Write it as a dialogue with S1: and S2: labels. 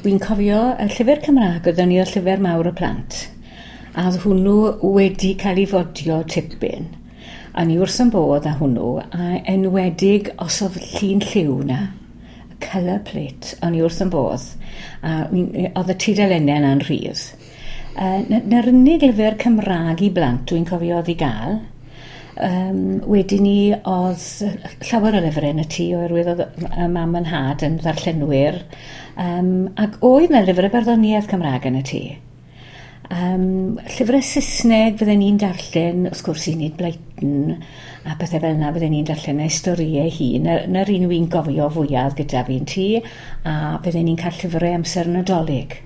S1: Wi'n cofio y llyfr Cymraeg oedd ni, y Llyfr Mawr y Plant. A oedd hwnnw wedi cael ei fodio tipyn. A ni wrth yn bodd â hwnnw, a enwedig os oedd llun lliw 'na, y colour plate, o'n i wrth yn bodd. A oedd y tudalennau yna'n rhydd. 'Na'r unig lyfr Cymraeg i blant dwi'n cofio oedd i gael. Wedyn ni oedd llawer o lyfrau yn y tŷ oherwydd oedd y mam a'n nhad yn ddarllenwyr. Ac oedd 'na lyfrau barddoniaeth Cymraeg yn y tŷ. Llyfrau Saesneg fydden ni'n darllen, wrth gwrs, Enid Blyton a pethau fel yna fydden ni'n darllen ei storïau hi. 'Na'r un wy'n gofio fwyaf gyda fi'n tŷ, a fydden ni'n cael llyfrau amser Nadolig.